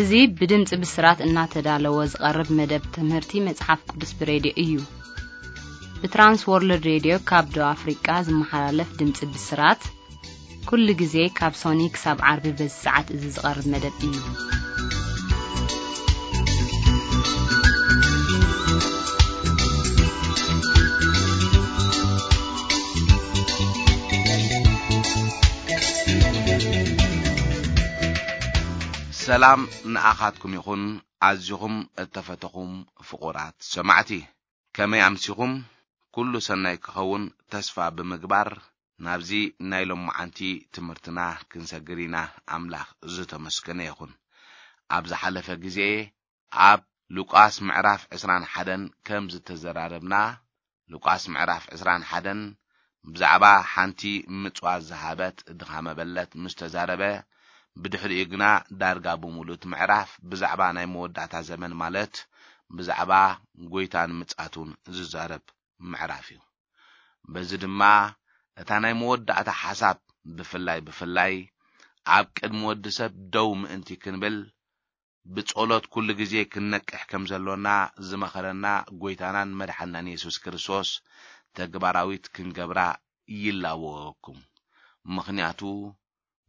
እዚ ብድምፂ ብስራት እናተዳለወ ዝቐርብ መደብ ትምህርቲ መጽሓፍ ቅዱስ ብሬድዮ እዩ። ብትራንስ ወርልድ ሬድዮ ካብ ደቡብ ኣፍሪቃ ዝመሓላለፍ ድምፂ ብስራት፣ ኩሉ ግዜ ካብ ሶኒ ክሳብ ዓርቢ በዚ ሰዓት እዚ ዝቐርብ መደብ እዩ። ሰላም ንኣኻትኩም ይኹን፣ ኣዚኹም እተፈተኹም ፍቑራት ሰማዕቲ። ከመይ ኣምሲኹም? ኩሉ ሰናይ ክኸውን ተስፋ ብምግባር፣ ናብዚ ናይ ሎማዓንቲ ትምህርትና ክንሰግር ኢና። ኣምላኽ ዝተመስገነ ይኹን። ኣብ ዝሓለፈ ግዜ ኣብ ሉቃስ ምዕራፍ ዕስራን ሓደን ከም ዝተዘራረብና፣ ሉቃስ ምዕራፍ ዕስራን ሓደን ብዛዕባ ሓንቲ ምጽዋት ዝሃበት ድኻ መበለት ምስ ተዛረበ፣ ብድሕሪኡ ግና ዳርጋ ብምሉእ እቲ ምዕራፍ ብዛዕባ ናይ መወዳእታ ዘመን፣ ማለት ብዛዕባ ጐይታን ምጻቱን ዝዛረብ ምዕራፍ እዩ። በዚ ድማ እታ ናይ መወዳእታ ሓሳብ ብፍላይ ብፍላይ ኣብ ቅድሚ ወዲ ሰብ ደው ምእንቲ ክንብል ብጸሎት ኩሉ ግዜ ክንነቅሕ ከም ዘሎና ዝመኸረና ጐይታናን መድሓናን የሱስ ክርስቶስ ተግባራዊት ክንገብራ ይላወወኩም። ምኽንያቱ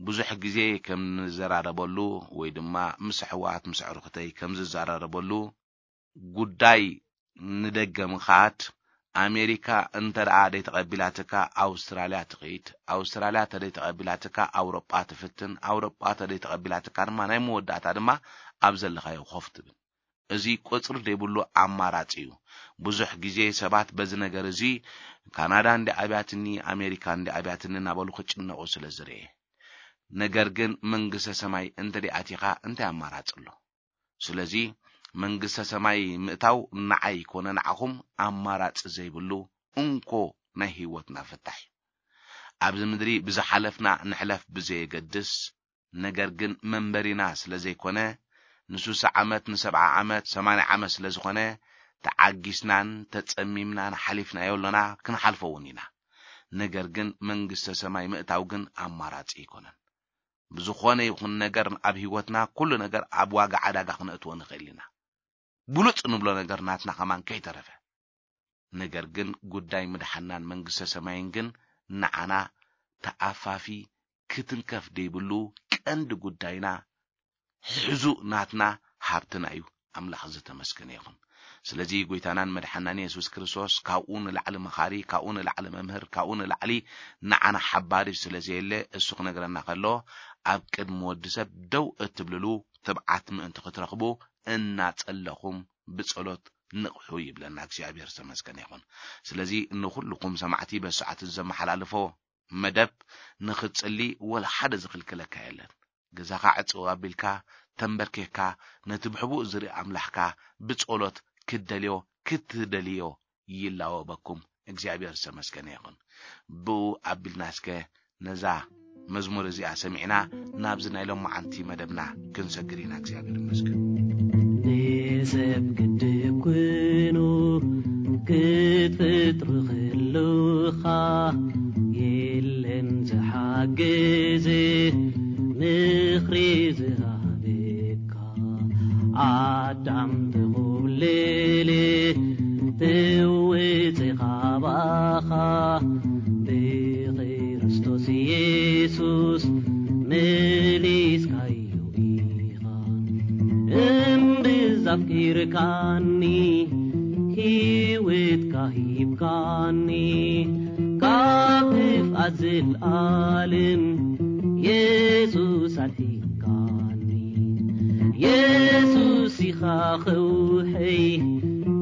ብዙሕ ግዜ ከም ንዘራረበሉ ወይ ድማ ምስ ኣሕዋት ምስ ኣዕሩኽተይ ከም ዝዘራረበሉ፣ ጉዳይ ንደገ ምኻድ፣ ኣሜሪካ እንተ ደኣ ደይተቐቢላትካ ኣውስትራልያ ትኸይድ፣ ኣውስትራልያ እንተ ደይተቐቢላትካ ኣውሮጳ ትፍትን፣ ኣውሮጳ እንተ ደይተቐቢላትካ ድማ ናይ መወዳእታ ድማ ኣብ ዘለኻዮ ኮፍ ትብል። እዚ ቁጽሪ ዘይብሉ ኣማራጺ እዩ። ብዙሕ ግዜ ሰባት በዚ ነገር እዚ፣ ካናዳ እንዲ ኣብያትኒ፣ ኣሜሪካ እንዲ ኣብያትኒ እናበሉ ክጭነቑ ስለ ዝርኤ። ነገር ግን መንግስተ ሰማይ እንተ ደኣ ኣቲኻ እንታይ ኣማራጺ ኣሎ? ስለዚ መንግስተ ሰማይ ምእታው ንዓይ ኮነ ንዓኹም ኣማራጺ ዘይብሉ እንኮ ናይ ህይወትና ፍታሕ እዩ። ኣብዚ ምድሪ ብዝሓለፍና ንሕለፍ ብዘየገድስ፣ ነገር ግን መንበሪና ስለ ዘይኮነ፣ ንሱሳ ዓመት፣ ንሰብዓ ዓመት፣ ሰማንያ ዓመት ስለ ዝኾነ፣ ተዓጊስናን ተጸሚምናን ሓሊፍናዮ ኣሎና፣ ክንሓልፎ እውን ኢና። ነገር ግን መንግስተ ሰማይ ምእታው ግን ኣማራጺ ኣይኮነን። ብዝኾነ ይኹን ነገር ኣብ ህይወትና፣ ኩሉ ነገር ኣብ ዋጋ ዕዳጋ ክነእትዎ ንኽእል ኢና። ብሉጽ ንብሎ ነገር ናትና ከማን ከይተረፈ። ነገር ግን ጉዳይ ምድሓናን መንግስተ ሰማይን ግን ንዓና ተኣፋፊ፣ ክትንከፍ ዘይብሉ ቀንዲ ጉዳይና፣ ሕዙእ ናትና፣ ሃብትና እዩ። ኣምላኽ ዝተመስገነ ይኹን። ስለዚ ጐይታናን መድሓናን የሱስ ክርስቶስ ካብኡ ንላዕሊ መኻሪ፣ ካብኡ ንላዕሊ መምህር፣ ካብኡ ንላዕሊ ንዓና ሓባሪ ስለ ዘየለ፣ እሱ ክነግረና ከሎ፣ ኣብ ቅድሚ ወዲ ሰብ ደው እትብልሉ ትብዓት ምእንቲ ክትረኽቡ እናጸለኹም ብጸሎት ንቕሑ ይብለና። እግዚኣብሔር ዝተመስገነ ይኹን። ስለዚ ንኹልኹም ሰማዕቲ በዚ ሰዓት እዚ ዘመሓላልፎ መደብ ንኽትጽሊ ወላ ሓደ ዝኽልክለካ የለን። ገዛኻ ዕጽው ኣቢልካ ተንበርኪኽካ ነቲ ብሕቡእ ዝርኢ ኣምላኽካ ብጸሎት ክትደልዮ ክትደልዮ ይላወበኩም። እግዚኣብሔር ዝተመስገነ ይኹን። ብኡ ኣቢልና እስከ ነዛ መዝሙር እዚኣ ሰሚዕና ናብዚ ናይ ሎማዓንቲ መደብና ክንሰግር ኢና። እግዚኣብሔር ይመስገን። ንሰብ ግድብ ኩኑ ክትፍጥሩ ከለኻ የለን ዝሓግዝ ምኽሪ ዝሃበካ። ኣዳም ተኾብለለ ተወፀ ካባኻ ብክርስቶስ ኢየሱስ መሊስካዮ ኢኻ። እምብዛ ኣፍቂርካኒ ህይወትካ ሂብካኒ ካብ ጥፍኣት ዘልኣለም የሱስ ኣድሒንካኒ። የሱስ ኢኻ ከውሐይ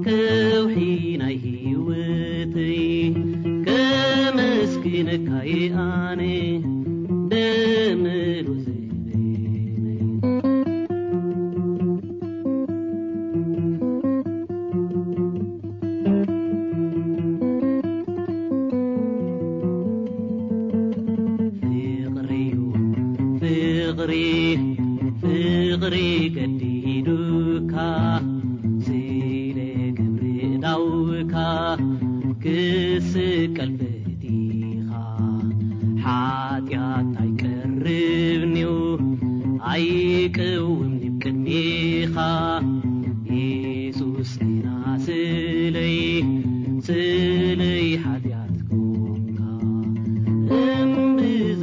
ከውሒ ናይ ህይወተይ ከመስግነካ እየ ኣነ ደመሉ ዘበነይ። ፍቕሪ ፍቕሪ ፍቕሪ ገዲዱካ ስለ ግብሪ ዳውካ ክስቀል ፈቲኻ ሓጢኣት ኣይቀርብንዩ ኣይቅውምንዩ ቅድሚ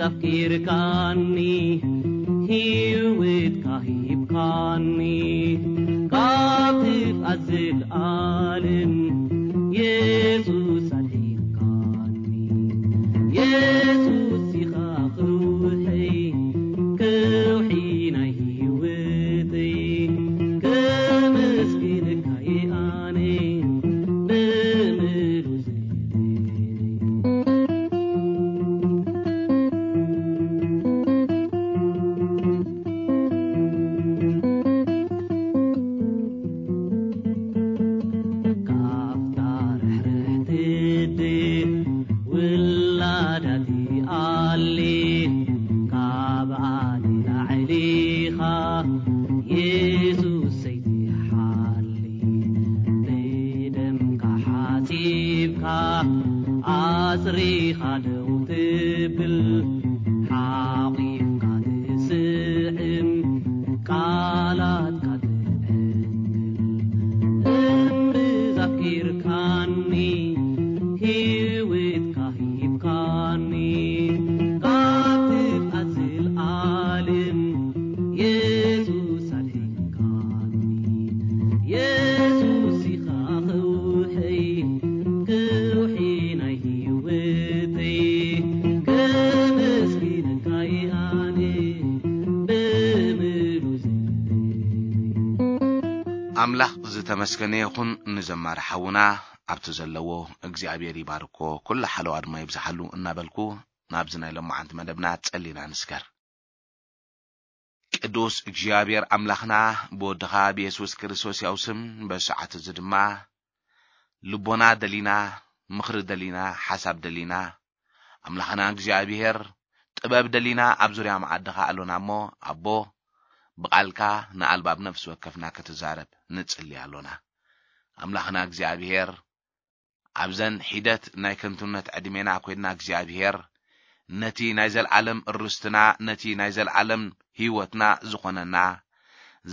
ኣፍቂርካኒ፣ ህይወትካ ሂብካኒ፣ ካብ ጥፍኣት ዘልኣለም የሱስ ኣድሒንካኒ። የሱስ ኢኻ ከውሒ፣ ከውሒ ናይ ህይወተይ፣ ከመስግነካ እየ ኣነ ብምሉእ ካብታ ርሕርሕቲ ውላዳቲ ኣሊ፣ ካብ ኣሊ ላዕሊኻ የሱስ ሰይትሓሊ። ብደምካ ሓጺብካ ኣጽሪኻ ደው ትብል፣ ሓቒፍካ ትስዕም፣ ቃላትካ ትዕንግል። እምብዛ ኣፍቂርካኒ፣ ህይወትካ ሂብካኒ፣ ካብ ጥፍኣት ዘልኣለም የሱስ ኣድሒንካኒ። የሱስ ኢኻ ከውሒ፣ ከውሒ ናይ ህይወተይ፣ ከመስግነካ እየ ኣነ ብምሉእ ኣምላኽ ዝተመስገነ ይኹን። ንዘማሪ ሓውና ኣብቲ ዘለዎ እግዚኣብሔር ይባርኮ፣ ኩሉ ሓለዋ ድማ ይብዝሓሉ እናበልኩ፣ ናብዚ ናይ ሎማዓንቲ መደብና ጸሊና ንስገር። ቅዱስ እግዚኣብሔር ኣምላኽና፣ ብወድኻ ብየሱስ ክርስቶስ ያው ስም፣ በዚ ሰዓት እዚ ድማ ልቦና ደሊና፣ ምኽሪ ደሊና፣ ሓሳብ ደሊና፣ ኣምላኽና እግዚኣብሔር፣ ጥበብ ደሊና ኣብ ዙርያ መዓድኻ ኣሎና እሞ፣ ኣቦ፣ ብቓልካ ንኣልባብ ነፍሲ ወከፍና ክትዛረብ ንጽሊ ኣሎና። ኣምላኽና እግዚኣብሔር፣ ኣብዘን ሒደት ናይ ከንቱነት ዕድሜና ኮይንና እግዚኣብሔር፣ ነቲ ናይ ዘልዓለም ርስትና፣ ነቲ ናይ ዘልዓለም ህይወትና ዝኾነና፣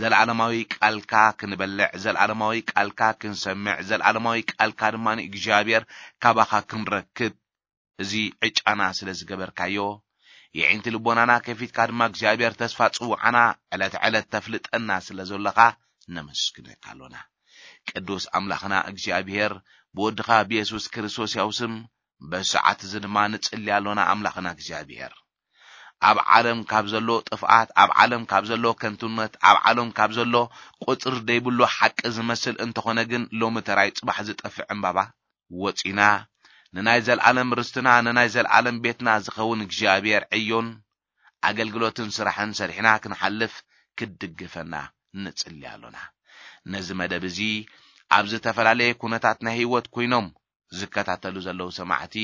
ዘልዓለማዊ ቃልካ ክንበልዕ፣ ዘልዓለማዊ ቃልካ ክንሰምዕ፣ ዘልዓለማዊ ቃልካ ድማ ንእግዚኣብሔር ካባኻ ክንረክብ፣ እዚ ዕጫና ስለ ዝገበርካዮ፣ የዒንቲ ልቦናና ከፊትካ ድማ እግዚኣብሔር ተስፋ ጽውዓና ዕለት ዕለት ተፍልጠና ስለ ዘለኻ ነመስግነካ ኣሎና። ቅዱስ ኣምላኽና እግዚኣብሔር፣ ብወድኻ ብየሱስ ክርስቶስ ያው ስም፣ በዚ ሰዓት እዚ ድማ ንጽሊ ኣሎና። ኣምላኽና እግዚኣብሔር፣ ኣብ ዓለም ካብ ዘሎ ጥፍኣት፣ ኣብ ዓለም ካብ ዘሎ ከንቱነት፣ ኣብ ዓለም ካብ ዘሎ ቁጽሪ ደይብሉ ሓቂ ዝመስል እንተኾነ ግን፣ ሎሚ ተራይ ጽባሕ ዝጠፍእ ዕምባባ ወጺና፣ ንናይ ዘልዓለም ርስትና፣ ንናይ ዘልዓለም ቤትና ዝኸውን እግዚኣብሔር ዕዮን ኣገልግሎትን ስራሕን ሰሪሕና ክንሓልፍ ክትድግፈና ንጽሊ ኣሎና። ነዚ መደብ እዚ ኣብ ዝተፈላለየ ኩነታት ናይ ህይወት ኮይኖም ዝከታተሉ ዘለዉ ሰማዕቲ፣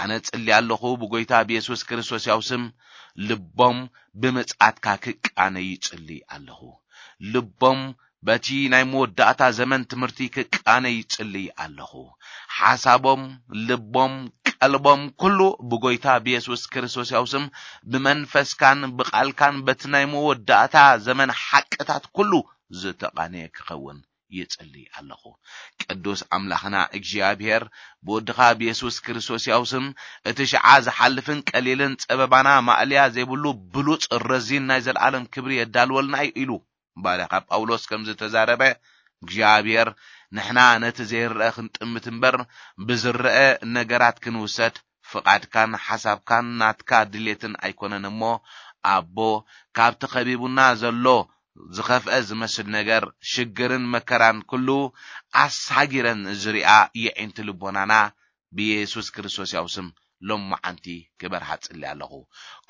ኣነ ጽሊ ኣለኹ፣ ብጎይታ ብየሱስ ክርስቶስ ያው ስም ልቦም ብምጽኣትካ ክቃነ ይጽሊ ኣለኹ። ልቦም በቲ ናይ መወዳእታ ዘመን ትምህርቲ ክቃነ ይጽሊ ኣለኹ። ሓሳቦም፣ ልቦም፣ ቀልቦም፣ ኩሉ ብጎይታ ብየሱስ ክርስቶስ ያው ስም፣ ብመንፈስካን ብቓልካን በቲ ናይ መወዳእታ ዘመን ሓቅታት ኩሉ ዝተቓነየ ክኸውን ይጽሊ ኣለኹ። ቅዱስ ኣምላኽና እግዚኣብሔር፣ ብወድኻ ብየሱስ ክርስቶስ ያው ስም፣ እቲ ሽዓ ዝሓልፍን ቀሊልን ጸበባና ማእለያ ዘይብሉ ብሉጽ ረዚን ናይ ዘለዓለም ክብሪ የዳልወልና እዩ ኢሉ ባርያኻ ጳውሎስ ከም ዝተዛረበ፣ እግዚኣብሔር፣ ንሕና ነቲ ዘይረአ ክንጥምት እምበር፣ ብዝረአ ነገራት ክንውሰድ ፍቓድካን ሓሳብካን ናትካ ድሌትን ኣይኮነን እሞ፣ ኣቦ፣ ካብቲ ከቢቡና ዘሎ ዝኸፍአ ዝመስል ነገር፣ ሽግርን መከራን ኩሉ ኣሳጊረን ዝሪኣ የዒንቲ ልቦናና ብየሱስ ክርስቶስ ያው ስም ሎማዓንቲ ክበርሃ ጽሊ ኣለኹ።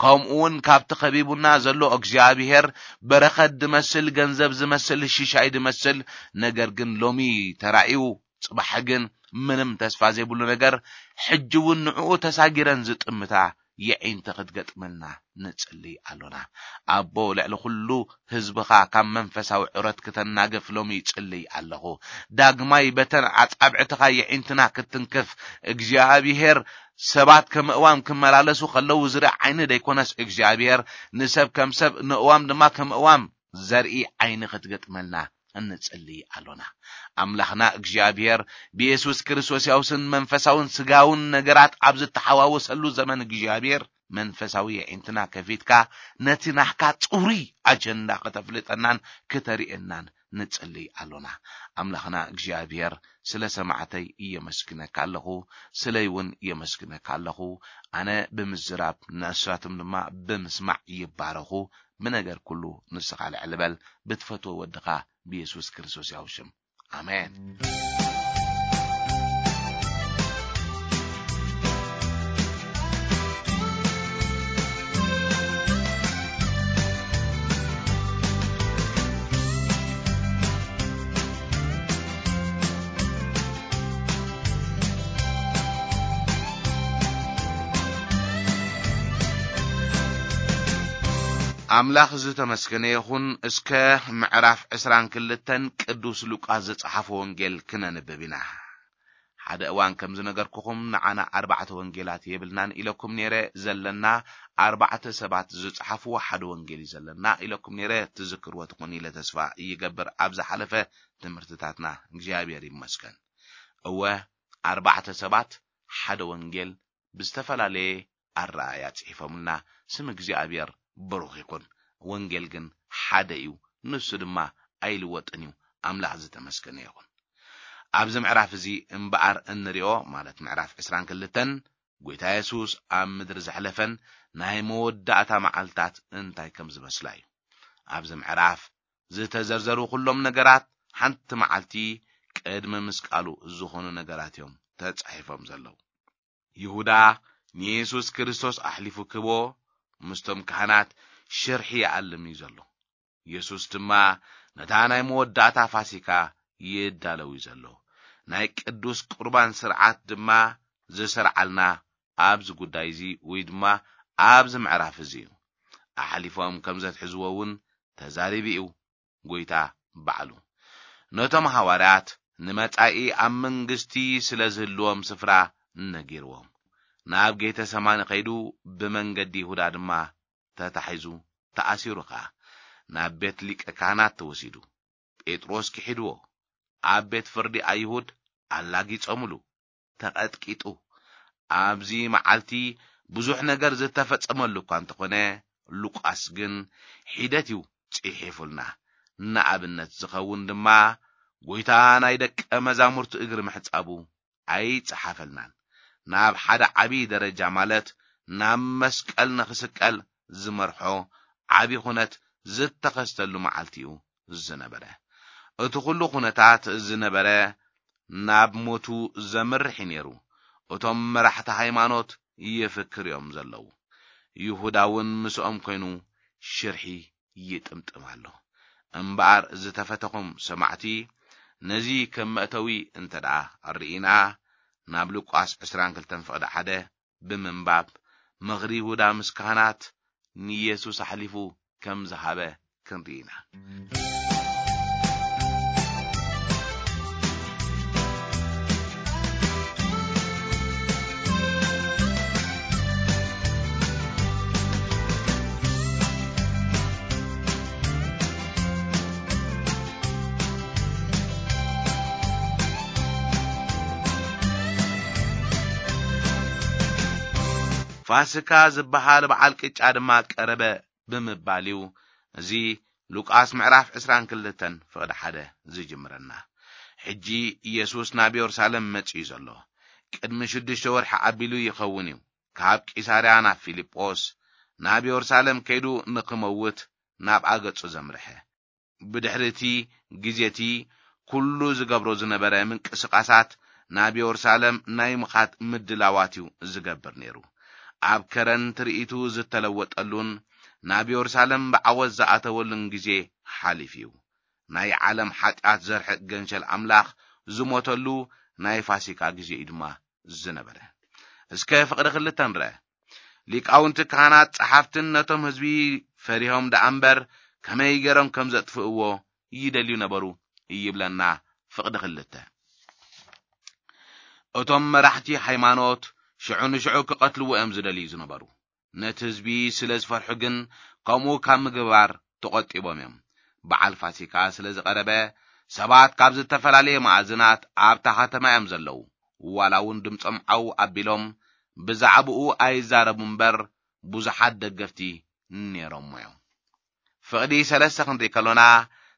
ከምኡ እውን ካብቲ ከቢቡና ዘሎ እግዚኣብሔር በረኸት ዝመስል፣ ገንዘብ ዝመስል፣ ሽሻይ ዝመስል፣ ነገር ግን ሎሚ ተራእዩ፣ ጽባሕ ግን ምንም ተስፋ ዘይብሉ ነገር፣ ሕጂ እውን ንዕኡ ተሳጊረን ዝጥምታ የዒንቲ ክትገጥመልና ንጽሊ ኣሎና። ኣቦ፣ ልዕሊ ኩሉ ህዝብኻ ካብ መንፈሳዊ ዑረት ክተናግፍ ሎሚ ይጽልይ ኣለኹ። ዳግማይ በተን ኣጻብዕትኻ የዒንትና ክትትንክፍ፣ እግዚኣብሔር፣ ሰባት ከም እዋም ክመላለሱ ከለዉ ዝርኢ ዓይኒ ደይኮነስ፣ እግዚኣብሔር፣ ንሰብ ከም ሰብ፣ ንእዋም ድማ ከም እዋም ዘርኢ ዓይኒ ክትገጥመልና እንጽሊ ኣሎና። ኣምላኽና እግዚኣብሔር፣ ብየሱስ ክርስቶስ ያውስን መንፈሳውን ስጋውን ነገራት ኣብ ዝተሓዋወሰሉ ዘመን እግዚኣብሔር፣ መንፈሳዊ የዒንትና ከፊትካ ነቲ ናህካ ጽሩይ ኣጀንዳ ከተፍልጠናን ከተርእየናን ንጽልይ ኣሎና። ኣምላኽና እግዚኣብሔር ስለ ሰማዕተይ እየመስግነካ ኣለኹ፣ ስለይ እውን እየመስግነካ ኣለኹ። ኣነ ብምዝራብ ንሳቶም ድማ ብምስማዕ ይባረኹ። ብነገር ኩሉ ንስኻ ልዕል በል፣ ብትፈትዎ ወድኻ ብየሱስ ክርስቶስ ያው ሽም። ኣሜን። ኣምላኽ ዝተመስገነ ይኹን። እስከ ምዕራፍ ዕስራን ክልተን ቅዱስ ሉቃስ ዝጸሓፎ ወንጌል ክነንብብ ኢና። ሓደ እዋን ከም ዝነገርኩኹም ንዓና ኣርባዕተ ወንጌላት የብልናን ኢለኩም ነይረ፣ ዘለና ኣርባዕተ ሰባት ዝጸሓፍዎ ሓደ ወንጌል እዩ ዘለና ኢለኩም ነይረ። ትዝክርዎ ትኾኑ ኢለ ተስፋ ይገብር ኣብ ዝሓለፈ ትምህርትታትና። እግዚኣብሔር ይመስገን። እወ፣ ኣርባዕተ ሰባት ሓደ ወንጌል ብዝተፈላለየ ኣረኣእያ ጽሒፎምልና። ስም እግዚኣብሔር ብሩኽ ይኹን። ወንጌል ግን ሓደ እዩ፣ ንሱ ድማ ኣይልወጥን እዩ። ኣምላኽ ዝተመስገነ ይኹን። ኣብዚ ምዕራፍ እዚ እምበኣር እንሪኦ፣ ማለት ምዕራፍ ዕስራን ክልተን፣ ጐይታ የሱስ ኣብ ምድሪ ዘሕለፈን ናይ መወዳእታ መዓልታት እንታይ ከም ዝመስላ እዩ። ኣብዚ ምዕራፍ ዝተዘርዘሩ ኩሎም ነገራት ሓንቲ መዓልቲ ቅድሚ ምስቃሉ ዝኾኑ ነገራት እዮም ተጻሒፎም ዘለዉ። ይሁዳ ንየሱስ ክርስቶስ ኣሕሊፉ ክህቦ ምስቶም ካህናት ሽርሒ ይኣልም እዩ ዘሎ። የሱስ ድማ ነታ ናይ መወዳእታ ፋሲካ ይዳለው እዩ ዘሎ። ናይ ቅዱስ ቁርባን ስርዓት ድማ ዝሰርዓልና ኣብዚ ጉዳይ እዚ ወይ ድማ ኣብዚ ምዕራፍ እዚ እዩ። ኣሕሊፎም ከም ዘትሕዝዎ እውን ተዛሪቡ እዩ። ጐይታ ባዕሉ ነቶም ሃዋርያት ንመጻኢ ኣብ መንግስቲ ስለ ዝህልዎም ስፍራ ነጊርዎም፣ ናብ ጌተ ሰማኒ ከይዱ ብመንገዲ ይሁዳ ድማ ተታሒዙ ተኣሲሩ ኸኣ ናብ ቤት ሊቀ ካህናት ተወሲዱ። ጴጥሮስ ክሒድዎ፣ ኣብ ቤት ፍርዲ ኣይሁድ ኣላጊጾምሉ፣ ተቐጥቂጡ። ኣብዚ መዓልቲ ብዙሕ ነገር ዝተፈጸመሉ እኳ እንተኾነ፣ ሉቃስ ግን ሒደት እዩ ጽሒፉልና። ንኣብነት ዝኸውን ድማ፣ ጐይታ ናይ ደቀ መዛሙርቱ እግሪ ምሕጻቡ ኣይጸሓፈልናን። ናብ ሓደ ዓቢ ደረጃ፣ ማለት ናብ መስቀል ንኽስቀል ዝመርሖ ዓቢ ኹነት ዝተኸስተሉ መዓልቲ እዩ ዝነበረ። እቲ ኹሉ ኹነታት ዝነበረ ናብ ሞቱ ዘምርሕ እዩ ነይሩ። እቶም መራሕቲ ሃይማኖት ይፍክር እዮም ዘለዉ። ይሁዳ እውን ምስኦም ኮይኑ ሽርሒ ይጥምጥም ኣሎ። እምበኣር ዝተፈተኹም ሰማዕቲ፣ ነዚ ከም መእተዊ እንተ ደኣ ርኢና፣ ናብ ሉቃስ ዕስራን ክልተን ፍቕዲ ሓደ ብምንባብ፣ ምኽሪ ይሁዳ ምስ ካህናት ንየሱስ ኣሕሊፉ ከም ዝሃበ ክንርኢ ኢና። ፋስካ ዝበሃል በዓል ቅጫ ድማ ቀረበ ብምባል እዩ እዚ ሉቃስ ምዕራፍ ዕስራን ክልተን ፍቕዲ ሓደ ዝጅምረና። ሕጂ ኢየሱስ ናብ የሩሳሌም መጺኡ ዘሎ ቅድሚ ሽዱሽተ ወርሒ ኣቢሉ ይኸውን እዩ። ካብ ቂሳርያ ናብ ፊልጶስ፣ ናብ የሩሳሌም ከይዱ ንኽመውት ናብኣ ገጹ ዘምርሐ። ብድሕሪ እቲ ግዜ እቲ ኩሉ ዝገብሮ ዝነበረ ምንቅስቓሳት፣ ናብ የሩሳሌም ናይ ምኻድ ምድላዋት እዩ ዝገብር ነይሩ። ኣብ ከረን ትርኢቱ ዝተለወጠሉን ናብ የሩሳሌም ብዓወት ዝኣተወሉን ግዜ ሓሊፉ እዩ። ናይ ዓለም ሓጢኣት ዘርሕቕ ገንሸል ኣምላኽ ዝሞተሉ ናይ ፋሲካ ግዜ እዩ ድማ ዝነበረ። እስከ ፍቕዲ ክልተ ንርአ። ሊቃውንቲ ካህናት ጸሓፍትን ነቶም ህዝቢ ፈሪሆም ደኣ እምበር፣ ከመይ ገይሮም ከም ዘጥፍእዎ ይደልዩ ነበሩ ይብለና ፍቕዲ ክልተ። እቶም መራሕቲ ሃይማኖት ሽዑ ንሽዑ ክቐትልዎ እዮም ዝደልዩ ዝነበሩ። ነቲ ህዝቢ ስለ ዝፈርሑ ግን፣ ከምኡ ካብ ምግባር ተቖጢቦም እዮም። በዓል ፋሲካ ስለ ዝቐረበ፣ ሰባት ካብ ዝተፈላለየ መኣዝናት ኣብታ ከተማ እዮም ዘለዉ። ዋላ እውን ድምጾም ዓው ኣቢሎም ብዛዕባኡ ኣይዛረቡ እምበር፣ ብዙሓት ደገፍቲ ነይሮሞ እዮም። ፍቕዲ ሰለስተ ክንርኢ ከሎና፣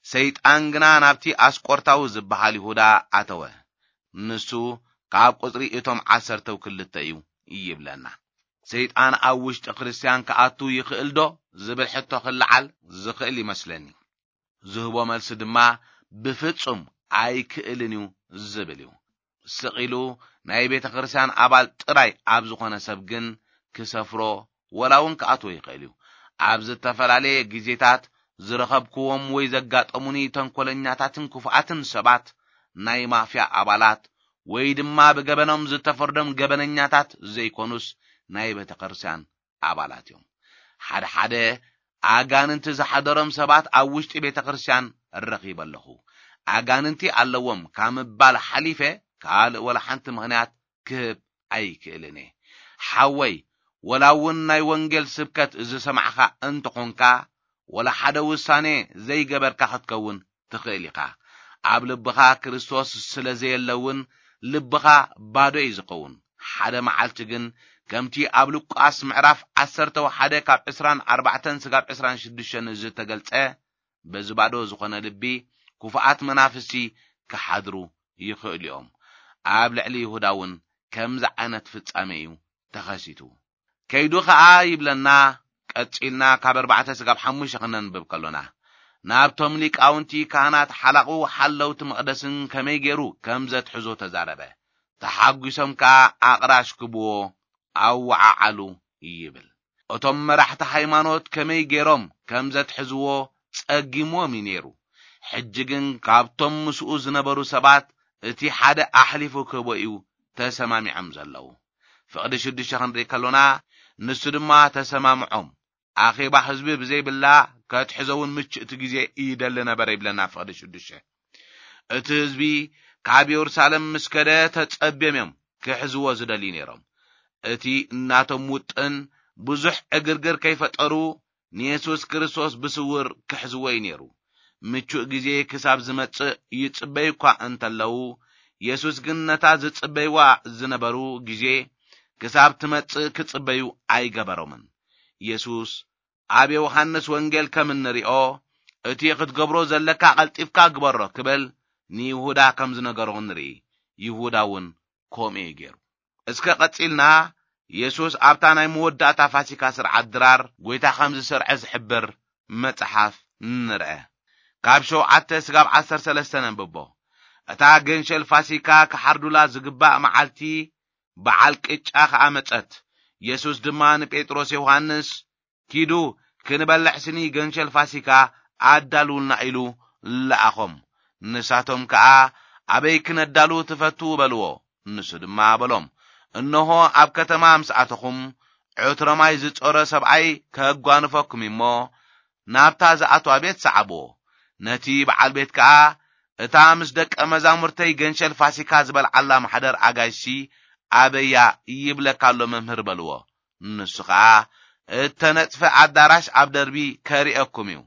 ሰይጣን ግና ናብቲ ኣስቆርታዊ ዝበሃል ይሁዳ ኣተወ። ንሱ ካብ ቁጽሪ እቶም ዓሰርተው ክልተ እዩ ይብለና። ሰይጣን ኣብ ውሽጢ ክርስትያን ክኣቱ ይኽእል ዶ ዝብል ሕቶ ክለዓል ዝኽእል ይመስለኒ። ዝህቦ መልሲ ድማ ብፍጹም ኣይክእልን እዩ ዝብል እዩ። ስቕ ኢሉ ናይ ቤተ ክርስቲያን ኣባል ጥራይ ኣብ ዝኾነ ሰብ ግን ክሰፍሮ ወላ እውን ክኣትዎ ይኽእል እዩ። ኣብ ዝተፈላለየ ግዜታት ዝረኸብክዎም ወይ ዘጋጠሙኒ ተንኮለኛታትን ክፉኣትን ሰባት፣ ናይ ማፍያ ኣባላት ወይ ድማ ብገበኖም ዝተፈርዶም ገበነኛታት ዘይኮኑስ ናይ ቤተ ክርስቲያን ኣባላት እዮም። ሓደ ሓደ ኣጋንንቲ ዝሓደሮም ሰባት ኣብ ውሽጢ ቤተ ክርስቲያን ረኺበ ኣለኹ። ኣጋንንቲ ኣለዎም ካብ ምባል ሓሊፈ ካልእ ወላ ሓንቲ ምኽንያት ክህብ ኣይክእልን እየ። ሓወይ፣ ወላ እውን ናይ ወንጌል ስብከት ዝሰማዕኻ እንተኾንካ፣ ወላ ሓደ ውሳኔ ዘይገበርካ ክትከውን ትኽእል ኢኻ። ኣብ ልብኻ ክርስቶስ ስለ ዘየለ እውን ልብኻ ባዶ እዩ ዝኸውን። ሓደ መዓልቲ ግን ከምቲ ኣብ ሉቃስ ምዕራፍ ዓሰርተ ሓደ ካብ ዕስራን ኣርባዕተን ስጋብ ዕስራን ሽዱሽተን ዝተገልጸ፣ በዚ ባዶ ዝኾነ ልቢ ክፉኣት መናፍስቲ ክሓድሩ ይኽእሉ እዮም። ኣብ ልዕሊ ይሁዳ እውን ከምዚ ዓይነት ፍጻሜ እዩ ተኸሲቱ። ከይዱ ኸኣ ይብለና፣ ቀጺልና ካብ ኣርባዕተ ስጋብ ሓሙሽተ ክነንብብ ከሎና፣ ናብቶም ሊቃውንቲ ካህናት ሓላቑ ሓለውቲ መቕደስን ከመይ ገይሩ ከም ዘትሕዞ ተዛረበ። ተሓጒሶም ከኣ ኣቕራሽ ክብዎ ኣወዓዓሉ ይብል። እቶም መራሕቲ ሃይማኖት ከመይ ገይሮም ከም ዘትሕዝዎ ጸጊምዎም እዩ ነይሩ። ሕጂ ግን ካብቶም ምስኡ ዝነበሩ ሰባት እቲ ሓደ ኣሕሊፉ ክህቦ እዩ ተሰማሚዖም ዘለዉ። ፍቕዲ ሽዱሽተ ክንርኢ ከሎና፣ ንሱ ድማ ተሰማምዖም። ኣኼባ ህዝቢ ብዘይብላ ከትሕዞ እውን ምቹእ እቲ ግዜ ይደሊ ነበረ ይብለና ፍቕዲ ሽዱሽተ። እቲ ህዝቢ ካብ የሩሳሌም ምስ ከደ ተጸብዮም እዮም ክሕዝዎ ዝደልዩ ነይሮም። እቲ እናቶም ውጥን ብዙሕ ዕግርግር ከይፈጠሩ ንየሱስ ክርስቶስ ብስውር ክሕዝዎ እዩ ነይሩ። ምቹእ ግዜ ክሳብ ዝመጽእ ይጽበዩ እኳ እንተለዉ፣ የሱስ ግን ነታ ዝጽበይዋ ዝነበሩ ግዜ ክሳብ ትመጽእ ክጽበዩ ኣይገበሮምን። የሱስ ኣብ ዮሃንስ ወንጌል ከም እንሪኦ፣ እቲ ክትገብሮ ዘለካ ቀልጢፍካ ግበሮ ክብል ንይሁዳ ከም ዝነገሮ ንርኢ። ይሁዳ እውን ከምኡ እዩ ገይሩ። እስከ ቀጺልና የሱስ ኣብታ ናይ መወዳእታ ፋሲካ ስርዓት ድራር ጐይታ ከም ዝሰርዐ ዝሕብር መጽሓፍ ንርአ። ካብ ሸውዓተ ስጋብ ዓሰርተ ሰለስተ ነንብቦ። እታ ገንሸል ፋሲካ ክሓርዱላ ዝግባእ መዓልቲ በዓል ቅጫ ኸኣ መጸት። የሱስ ድማ ንጴጥሮስ ዮሃንስ፣ ኪዱ ክንበልዕ ስኒ ገንሸል ፋሲካ ኣዳልውልና ኢሉ ለኣኾም። ንሳቶም ከኣ፣ ኣበይ ክነዳሉ ትፈቱ? በልዎ። ንሱ ድማ በሎም፣ እንሆ ኣብ ከተማ ምስ ኣተኹም፣ ዕትሮ ማይ ዝጾረ ሰብኣይ ከጓንፈኩም እሞ፣ ናብታ ዝኣትዋ ቤት ሰዓብዎ። ነቲ በዓል ቤት ከኣ፣ እታ ምስ ደቀ መዛሙርተይ ገንሸል ፋሲካ ዝበልዓላ ማሕደር ኣጋይሽሲ ኣበያ ይብለካ ኣሎ መምህር በልዎ። ንሱ ኸኣ፣ እተነጽፈ ኣዳራሽ ኣብ ደርቢ ከርእየኩም እዩ፣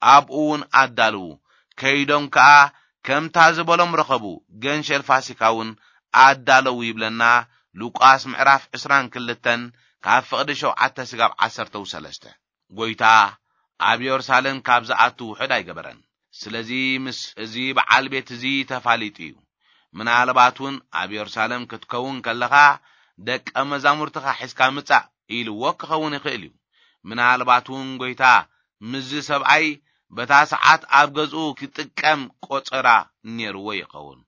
ኣብኡ እውን ኣዳልዉ። ከይዶም ከኣ ከምታ ዝበሎም ረኸቡ፣ ገንሸል ፋሲካ እውን ኣዳለዉ ይብለና ሉቃስ ምዕራፍ ዕስራን ክልተን ካብ ፍቕዲ ሸውዓተ ስጋብ ዓሰርተው ሰለስተ። ጐይታ ኣብ የሩሳሌም ካብ ዝኣቱ ውሑድ ኣይገበረን። ስለዚ ምስ እዚ በዓል ቤት እዚ ተፋሊጡ እዩ። ምናልባት እውን ኣብ የሩሳሌም ክትከውን ከለኻ ደቀ መዛሙርትኻ ሒዝካ ምጻእ ኢልዎ ክኸውን ይኽእል እዩ። ምናልባት እውን ጐይታ ምስዚ ሰብኣይ በታ ሰዓት ኣብ ገዝኡ ክጥቀም ቆጸራ ነይርዎ ይኸውን።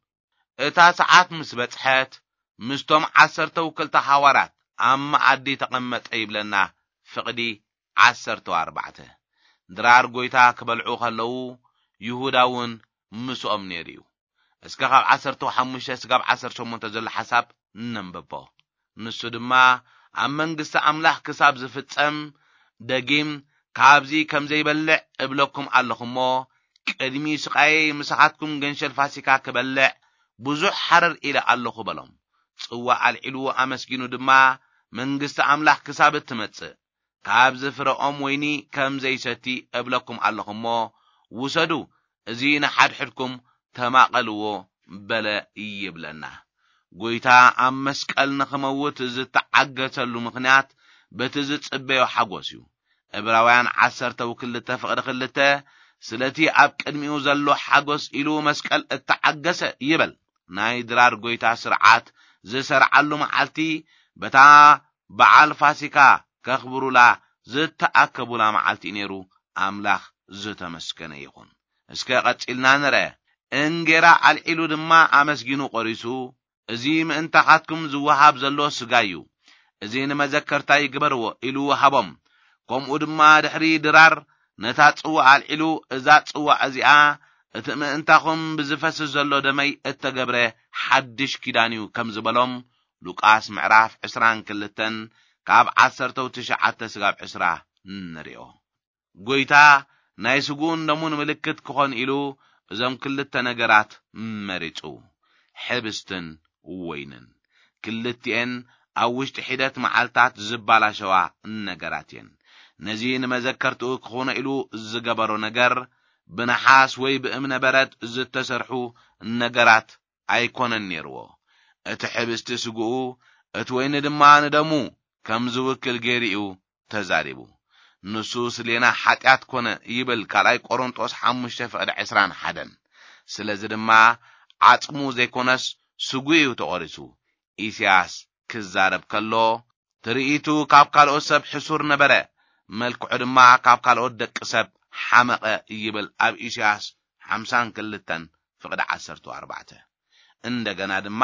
እታ ሰዓት ምስ በጽሐት፣ ምስቶም ዓሰርተው ክልተ ሃዋርያት ኣብ መኣዲ ተቐመጠ ይብለና ፍቕዲ ዓሰርተው ኣርባዕተ። ድራር ጐይታ ክበልዑ ከለዉ፣ ይሁዳ እውን ምስኦም ነይሩ እዩ። እስከ ካብ ዓሰርተው ሓሙሽተ ስጋብ ዓሰርተ ሸሞንተ ዘሎ ሓሳብ ነንብቦ። ንሱ ድማ፣ ኣብ መንግስቲ ኣምላኽ ክሳብ ዝፍጸም፣ ደጊም ካብዚ ከም ዘይበልዕ እብለኩም ኣለኹ እሞ፣ ቅድሚ ስቓየይ ምሳኻትኩም ገንሸል ፋሲካ ክበልዕ ብዙሕ ሓረር ኢለ ኣለኹ በሎም። ጽዋእ ኣልዒሉ ኣመስጊኑ ድማ፣ መንግስቲ ኣምላኽ ክሳብ እትመጽእ፣ ካብዚ ፍረኦም ወይኒ ከም ዘይሰቲ እብለኩም ኣለኹ እሞ፣ ውሰዱ፣ እዚ ንሓድሕድኩም ተማቐልዎ በለ ይብለና። ጐይታ ኣብ መስቀል ንኽመውት ዝተዓገተሉ ምኽንያት በቲ ዝጽበዮ ሓጎስ እዩ። ዕብራውያን ዓሰርተ ክልተ ፍቕዲ ክልተ፣ ስለቲ ኣብ ቅድሚኡ ዘሎ ሓጎስ ኢሉ መስቀል እተዓገሰ ይበል። ናይ ድራር ጎይታ ስርዓት ዝሰርዓሉ መዓልቲ፣ በታ በዓል ፋሲካ ከኽብሩላ ዝተኣከቡላ መዓልቲ እዩ ነይሩ። ኣምላኽ ዝተመስገነ ይኹን። እስከ ቀጺልና ንርአ። እንጌራ ኣልዒሉ ድማ ኣመስጊኑ ቆሪሱ፣ "እዚ ምእንታኻትኩም ዝወሃብ ዘሎ ስጋይ እዩ፣ እዚ ንመዘከርታይ ግበርዎ" ኢሉ ወሃቦም። ከምኡ ድማ ድሕሪ ድራር ነታ ጽዋ ኣልዒሉ፣ "እዛ ጽዋ እዚኣ እቲ ምእንታኹም ብዝፈስስ ዘሎ ደመይ እተገብረ ሓድሽ ኪዳን እዩ" ከም ዝበሎም፣ ሉቃስ ምዕራፍ ዕስራን ክልተን ካብ ዓሰርተው ትሽዓተ ስጋብ ዕስራ ንሪኦ። ጎይታ ናይ ስግኡን ደሙን ምልክት ክኾን ኢሉ እዞም ክልተ ነገራት መሪጹ፣ ሕብስትን ወይንን። ክልቲኤን ኣብ ውሽጢ ሒደት መዓልታት ዝባላሸዋ ነገራት እየን። ነዚ ንመዘከርትኡ ክኾኖ ኢሉ ዝገበሮ ነገር፣ ብነሓስ ወይ ብእምነ በረድ ዝተሰርሑ ነገራት ኣይኮነን ነይርዎ። እቲ ሕብስቲ ስግኡ፣ እቲ ወይኒ ድማ ንደሙ ከም ዝውክል ገይሩ እዩ ተዛሪቡ። ንሱ ስሌና ሓጢኣት ኮነ ይብል ካልኣይ ቆሮንጦስ ሓሙሽተ ፍቕዲ ዕስራን ሓደን። ስለዚ ድማ ዓጽሙ ዘይኮነስ ስጉ እዩ ተቖሪሱ። ኢሳያስ ክዛረብ ከሎ፣ ትርኢቱ ካብ ካልኦት ሰብ ሕሱር ነበረ፣ መልክዑ ድማ ካብ ካልኦት ደቂ ሰብ ሓመቐ ይብል ኣብ ኢሳያስ ሓምሳን ክልተን ፍቕዲ ዓሰርተ ኣርባዕተ። እንደገና ድማ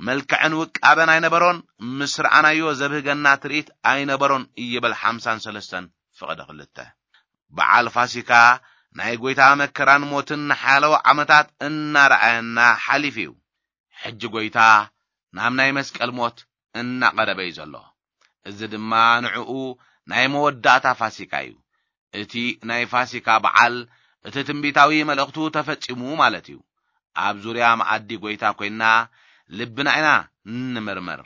መልክዕን ውቃበን ኣይነበሮን፣ ምስ ረኣናዮ ዘብህገና ትርኢት ኣይነበሮን ይብል ሓምሳን ሰለስተን ፍቕዲ ክልተ። በዓል ፋሲካ ናይ ጎይታ መከራን ሞትን ንሓለዋ ዓመታት እናረኣየና ሓሊፉ እዩ። ሕጂ ጎይታ ናብ ናይ መስቀል ሞት እናቐረበ እዩ ዘሎ። እዚ ድማ ንዕኡ ናይ መወዳእታ ፋሲካ እዩ። እቲ ናይ ፋሲካ በዓል፣ እቲ ትንቢታዊ መልእኽቱ ተፈጺሙ ማለት እዩ። ኣብ ዙርያ መኣዲ ጎይታ ኮይንና ልብና ኢና እንምርምር።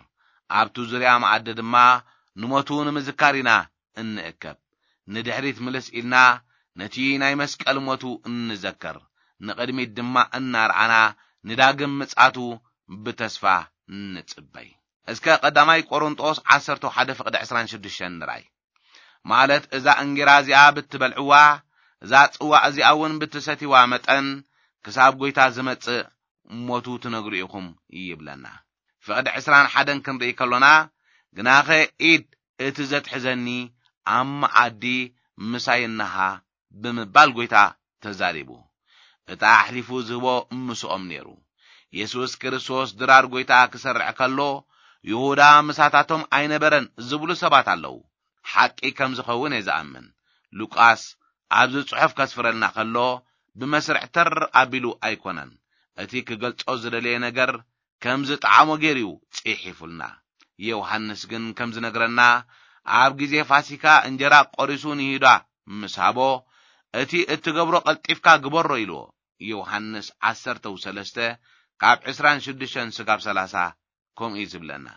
ኣብቲ ዙርያ መኣዲ ድማ ንሞቱ ንምዝካር ኢና እንእከብ። ንድሕሪት ምልስ ኢልና ነቲ ናይ መስቀል ሞቱ እንዘከር፣ ንቕድሚት ድማ እናረኣና ንዳግም ምጽኣቱ ብተስፋ ንጽበይ። እስከ ቀዳማይ ቆሮንጦስ ዓሰርተ ሓደ ፍቕዲ ዕስራን ሽዱሽተን ንርኣይ። ማለት እዛ እንጌራ እዚኣ ብትበልዕዋ፣ እዛ ጽዋ እዚኣ እውን ብትሰትይዋ መጠን፣ ክሳብ ጎይታ ዝመጽእ ሞቱ ትነግሩ ኢኹም ይብለና። ፍቕዲ ዕስራን ሓደን ክንርኢ ከሎና፣ "ግናኸ ኢድ እቲ ዘትሕዘኒ ኣብ መኣዲ ምሳይ እነሃ" ብምባል ጎይታ ተዛሪቡ። እታ ኣሕሊፉ ዝህቦ ምስኦም ነይሩ። የሱስ ክርስቶስ ድራር ጎይታ ክሰርዕ ከሎ፣ ይሁዳ ምሳታቶም ኣይነበረን ዝብሉ ሰባት ኣለዉ። ሓቂ ከም ዝኸውን እየ ዝኣምን። ሉቃስ ኣብዚ ጽሑፍ ከስፍረልና ከሎ፣ ብመስርዕ ተር ኣቢሉ ኣይኮነን። እቲ ክገልጾ ዝደለየ ነገር ከም ዝጠዓሞ ገይሩ እዩ ጽሒፉልና። ዮሃንስ ግን ከም ዝነግረና፣ ኣብ ግዜ ፋሲካ እንጀራ ቆሪሱ ንይሁዳ ምስ ሃቦ፣ "እቲ እትገብሮ ቀልጢፍካ ግበሮ" ኢልዎ። ዮሃንስ ዓሰርተ ሰለስተ ካብ ዕስራን ሽዱሽተን ስጋብ ሰላሳ ከምኡ እዩ ዝብለና።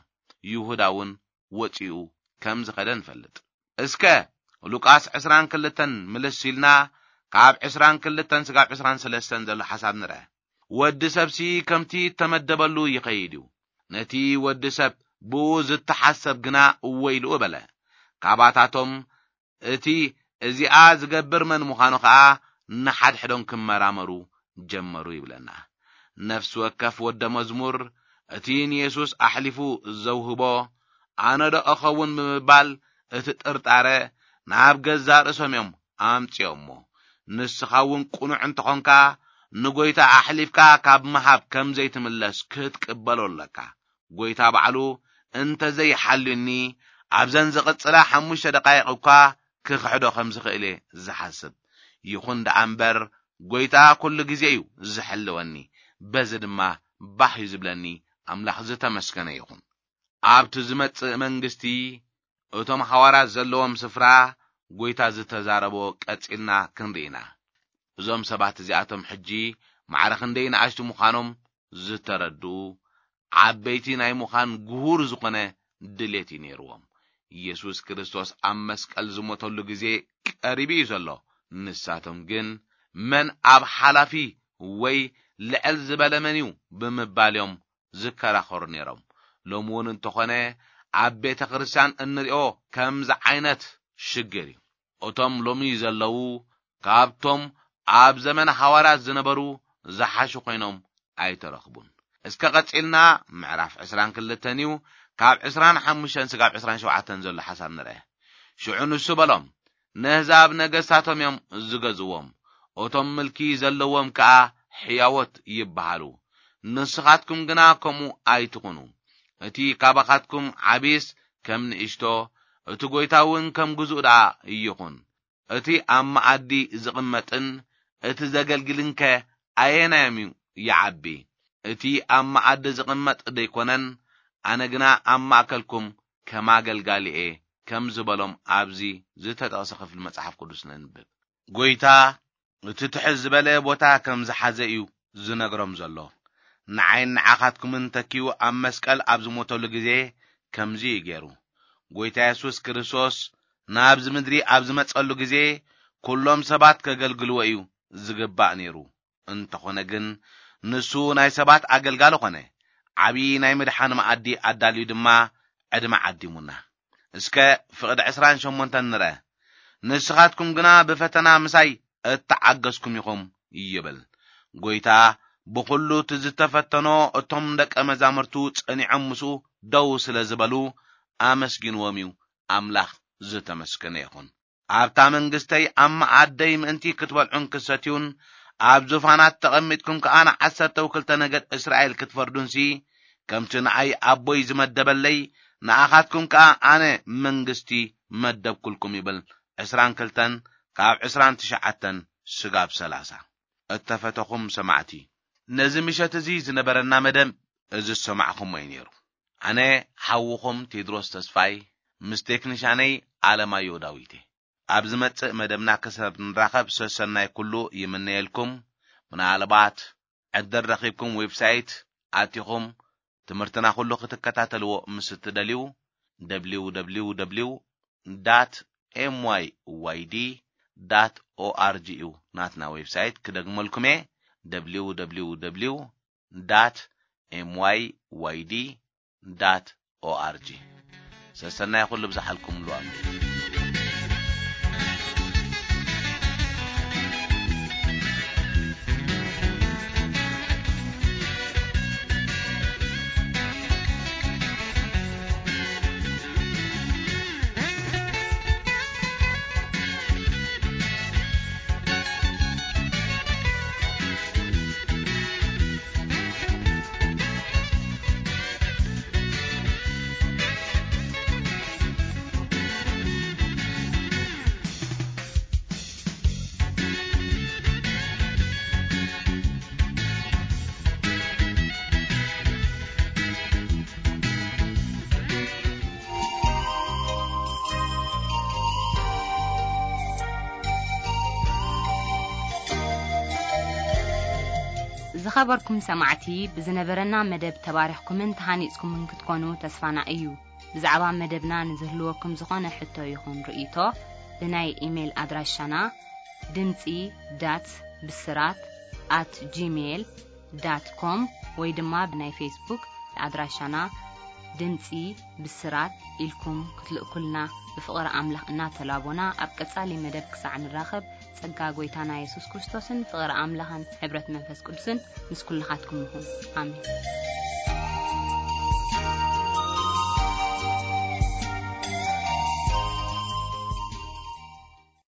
ይሁዳ እውን ወጺኡ ከም ዝኸደ ንፈልጥ። እስከ ሉቃስ ዕስራን ክልተን ምልስ ኢልና፣ ካብ ዕስራን ክልተን ስጋብ ዕስራን ሰለስተን ዘሎ ሓሳብ ንርአ። "ወዲ ሰብሲ ከምቲ እተመደበሉ ይኸይድ እዩ። ነቲ ወዲ ሰብ ብኡ ዝተሓሰብ ግና ወይልኡ" በለ። ካባታቶም እቲ እዚኣ ዝገብር መን ምዃኑ ኸኣ ንሓድሕዶም ክመራመሩ ጀመሩ ይብለና። ነፍሲ ወከፍ ወደ መዝሙር እቲ ንየሱስ ኣሕሊፉ ዘውህቦ "ኣነ ዶ እኸውን?" ብምባል እቲ ጥርጣረ ናብ ገዛእ ርእሶም እዮም ኣምጺኦሞ። ንስኻ እውን ቅኑዕ እንተኾንካ፣ ንጎይታ ኣሕሊፍካ ካብ ምሃብ ከም ዘይትምለስ ክትቅበሎ ኣለካ። ጎይታ ባዕሉ፣ "እንተ ዘይሓልዩኒ፣ ኣብዘን ዝቕጽላ ሓሙሽተ ደቃይቕ እኳ ክኽሕዶ ከም ዝኽእል እየ ዝሓስብ። ይኹን ደኣ እምበር፣ ጎይታ ኩሉ ግዜ እዩ ዝሕልወኒ፣ በዚ ድማ ባህ እዩ ዝብለኒ። ኣምላኽ ዝተመስገነ ይኹን።" ኣብቲ ዝመጽእ መንግስቲ፣ እቶም ሓዋርያት ዘለዎም ስፍራ፣ ጎይታ ዝተዛረቦ ቀጺልና ክንርኢ ኢና። እዞም ሰባት እዚኣቶም ሕጂ ማዕረ ክንደይ ንኣሽቱ ምዃኖም ዝተረድኡ፣ ዓበይቲ ናይ ምዃን ግሁር ዝኾነ ድሌት እዩ ነይርዎም። ኢየሱስ ክርስቶስ ኣብ መስቀል ዝሞተሉ ግዜ ቀሪቡ እዩ ዘሎ። ንሳቶም ግን፣ "መን ኣብ ሓላፊ ወይ ልዕል ዝበለ መን እዩ?" ብምባል እዮም ዝከራኸሩ ነይሮም። ሎሚ እውን እንተኾነ፣ ኣብ ቤተ ክርስቲያን እንሪኦ ከምዚ ዓይነት ሽግር እዩ። እቶም ሎሚ ዘለዉ ካብቶም ኣብ ዘመነ ሃዋርያት ዝነበሩ ዝሓሹ ኮይኖም ኣይተረኽቡን። እስከ ቀጺልና ምዕራፍ ዕስራን ክልተን እዩ፣ ካብ ዕስራን ሓሙሽተን ስጋብ ዕስራን ሸውዓተን ዘሎ ሓሳብ ንርአ። ሽዑ ንሱ በሎም፣ ነህዛብ ነገስታቶም እዮም ዝገዝዎም፣ እቶም ምልኪ ዘለዎም ከኣ ሕያዎት ይበሃሉ። ንስኻትኩም ግና ከምኡ ኣይትኹኑ። እቲ ካባኻትኩም ዓብይስ ከም ንእሽቶ፣ እቲ ጐይታ እውን ከም ግዙእ ደኣ ይኹን። እቲ ኣብ መኣዲ ዝቕመጥን እቲ ዘገልግልን ከ ኣየናዮም እዩ ይዓቢ? እቲ ኣብ መኣዲ ዝቕመጥ ደይኮነን? ኣነ ግና ኣብ ማእከልኩም ከም ኣገልጋሊ እየ፣ ከም ዝበሎም ኣብዚ ዝተጠቕሰ ክፍሊ መጽሓፍ ቅዱስ ነንብብ። ጐይታ እቲ ትሕት ዝበለ ቦታ ከም ዝሓዘ እዩ ዝነግሮም ዘሎ። ንዓይን ንዓኻትኩምን ተኪኡ ኣብ መስቀል ኣብ ዝሞተሉ ግዜ ከምዚ እዩ ገይሩ። ጐይታ የሱስ ክርስቶስ ናብዚ ምድሪ ኣብ ዝመጸሉ ግዜ፣ ኩሎም ሰባት ከገልግልዎ እዩ ዝግባእ ነይሩ። እንተኾነ ግን፣ ንሱ ናይ ሰባት ኣገልጋሊ ኾነ፣ ዓብዪ ናይ ምድሓን መኣዲ ኣዳልዩ ድማ ዕድመ ዓዲሙና። እስከ ፍቕዲ ዕስራን ሸሞንተን ንርአ። "ንስኻትኩም ግና ብፈተና ምሳይ እተዓገስኩም ኢኹም" ይብል። ጐይታ ብኹሉ እቲ ዝተፈተኖ፣ እቶም ደቀ መዛሙርቱ ጸኒዖም ምስኡ ደው ስለ ዝበሉ፣ ኣመስጊንዎም እዩ። ኣምላኽ ዝተመስገነ ይኹን። "ኣብታ መንግስተይ ኣብ መኣደይ ምእንቲ ክትበልዑን ክትሰትዩን፣ ኣብ ዙፋናት ተቐሚጥኩም ከኣ ንዓሰርተው ክልተ ነገድ እስራኤል ክትፈርዱንሲ፣ ከምቲ ንኣይ ኣቦይ ዝመደበለይ፣ ንኣኻትኩም ከኣ ኣነ መንግስቲ መደብኩልኩም" ይብል። ዕስራን ክልተን ካብ ዕስራን ትሽዓተን ስጋብ ሰላሳ። እተፈተኹም ሰማዕቲ፣ ነዚ ምሸት እዚ ዝነበረና መደብ እዚ ዝሰማዕኹሞ እዩ ነይሩ። ኣነ ሓውኹም ቴድሮስ ተስፋይ ምስ ቴክኒሻነይ ኣለማዮ ዳዊት እየ። ኣብ ዝመጽእ መደብና ክሳብ ንራኸብ ሰሰናይ ኩሉ ይምነየልኩም። ምናልባት ዕድል ረኺብኩም ዌብሳይት ኣቲኹም ትምህርትና ኩሉ ክትከታተልዎ ምስ እትደልዩ፣ www dot myyd dot org እዩ ናትና ዌብሳይት። ክደግመልኩም እየ፣ www dot myyd dot org። ሰሰናይ ኩሉ ብዝሓልኩምሉ ኣሜን። ዝኸበርኩም ሰማዕቲ፣ ብዝነበረና መደብ ተባሪኽኩምን ተሃኒጽኩምን ክትኮኑ ተስፋና እዩ። ብዛዕባ መደብና ንዝህልወኩም ዝኾነ ሕቶ ይኹን ርእይቶ፣ ብናይ ኢሜይል ኣድራሻና ድምጺ ዳት ብስራት ኣት ጂሜይል ዳት ኮም ወይ ድማ ብናይ ፌስቡክ ኣድራሻና ድምጺ ብስራት ኢልኩም ክትልእኩልና ብፍቕሪ ኣምላኽ እናተላቦና፣ ኣብ ቀጻሊ መደብ ክሳዕ ንራኸብ፣ ጸጋ ጐይታና የሱስ ክርስቶስን ፍቕሪ ኣምላኽን ሕብረት መንፈስ ቅዱስን ምስ ኩልኻትኩም ይኹን። ኣሜን።